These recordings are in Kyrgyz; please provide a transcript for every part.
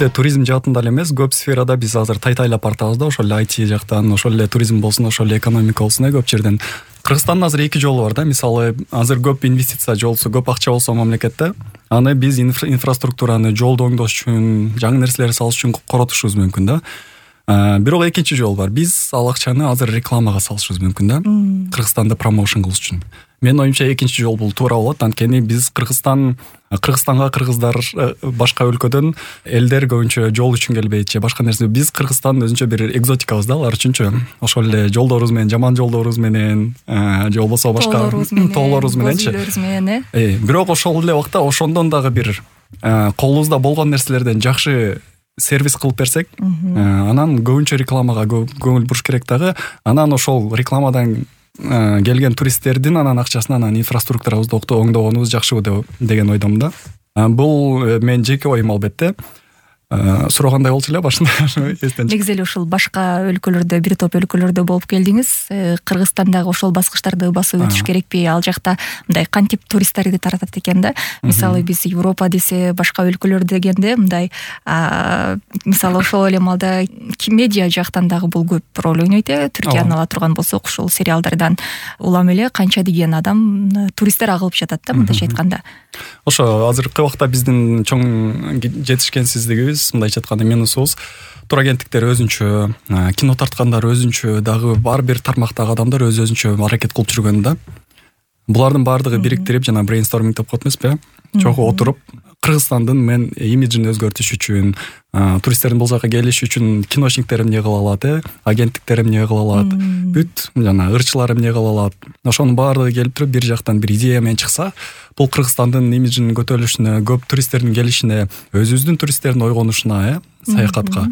бизде туризм жаатында эле эмес, көп сферада биз азыр тайтайлап бартабыз да, ошол эле IT жактан, ошол эле туризм болсун, ошол эле экономика болсун, көп жерден. Кыргызстандын азыр эки жолу бар да. Мисалы, азыр көп инвестиция жолсу, көп акча болсо мамлекетте, аны биз инфраструктураны жолду оңдош үчүн, жаңы нерселерди салыш үчүн коротушубуз мүмкүн да. Бирок экинчи жол бар. Биз ал акчаны азыр рекламага салышыбыз мүмкүн да. Кыргызстанды промоушн кылыш үчүн. Менин оюмча экинчи жол бул туура болот. Анткени биз Кыргызстанга кыргыздар башка өлкөдөн элдер көбүнчө жол үчүн келбейт же башка нерсе. Биз Кыргызстандын өзүнчө бир экзотикабыз да алар үчүнчү. Ошол эле жолдорубуз менен, жаман жолдорубуз менен, же болбосо башка тоолорубуз мененчи. Бирок ошол эле убакта ошондон дагы бир колубузда болгон нерселерден жакшы сервис кылып берсек, анан көбүнчө рекламага көңүл буруш керек дагы. Анан ошол рекламадан келген туристтердин анан акчасын анан инфраструктурабызды оңдогонубуз жакшыбы деген ойдомун да. Бул менин жеке оюм албетте. Сурагандай болчу эле башында. Негизи эле ушул башка өлкөлөрдө, бир топ өлкөлөрдө болуп келдиңиз. Кыргызстандагы ошол баскычтарды басып өтүш керекпи? Ал жакта мындай кантип туристтерди таратат экен да? Мисалы биз Европа десе, башка өлкөлөр дегенде мындай мисалы ошол эле маалда медиа жактан дагы бул көп роль ойнойт. Түркияны ала турган болсок, ушул сериалдардан улам эле канча деген адам туристтер агылып жатат да, мындайча айтканда. Ошо азыркы убакта биздин чоң жетишкенсиздигибиз, мындайча айтканда минусубуз, турагенттиктер өзүнчө, кино тарткандар өзүнчө, дагы ар бир тармактагы адамдар өзүнчө аракет кылып жүргөн да. Булардын баардыгы бириктирип, жана брейнсторминг деп коет эмеспи, чогуу отуруп Кыргызстандын имиджин өзгөртүш үчүн, туристтердин бул жака келиши үчүн киношниктер эмне кыла алат, агенттиктер эмне кыла алат, бүт жана ырчылар эмне кыла алат. Ошонун баардыгы келип туруп бир жактан бир идея менен чыкса, бул Кыргызстандын имиджинин көтөрүлүшүнө, көп туристтердин келишине, өзүбүздүн туристтердин ойгонушуна, саякатка.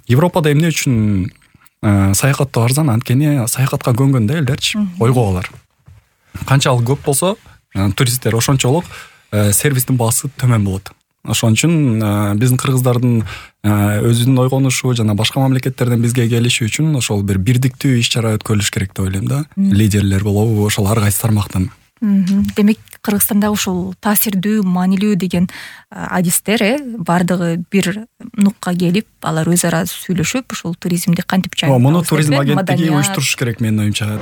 Европада эмне үчүн саякаттоо арзан? Анткени саякатка көнгөн да элдерчи, ойгоолор. Канчалык көп болсо, туристтер ошончолук сервистин баасы төмөн болот. Ошон үчүн биздин кыргыздардын өзүнүн ойгонушу жана башка мамлекеттерден бизге келиши үчүн ошол бир бирдиктүү иш-чара өткөрүлүш керек деп ойлойм да. Лидерлер болобу, ошол ар кайсы тармактан. Демек Кыргызстанда ушул таасирдүү, маанилүү деген адистер бардыгы бир нукка келип, алар өз ара сүйлөшүп, ушул туризмди кантип жайылтабыз? Муну туризм агенттиги уюштуруш керек менин оюмча.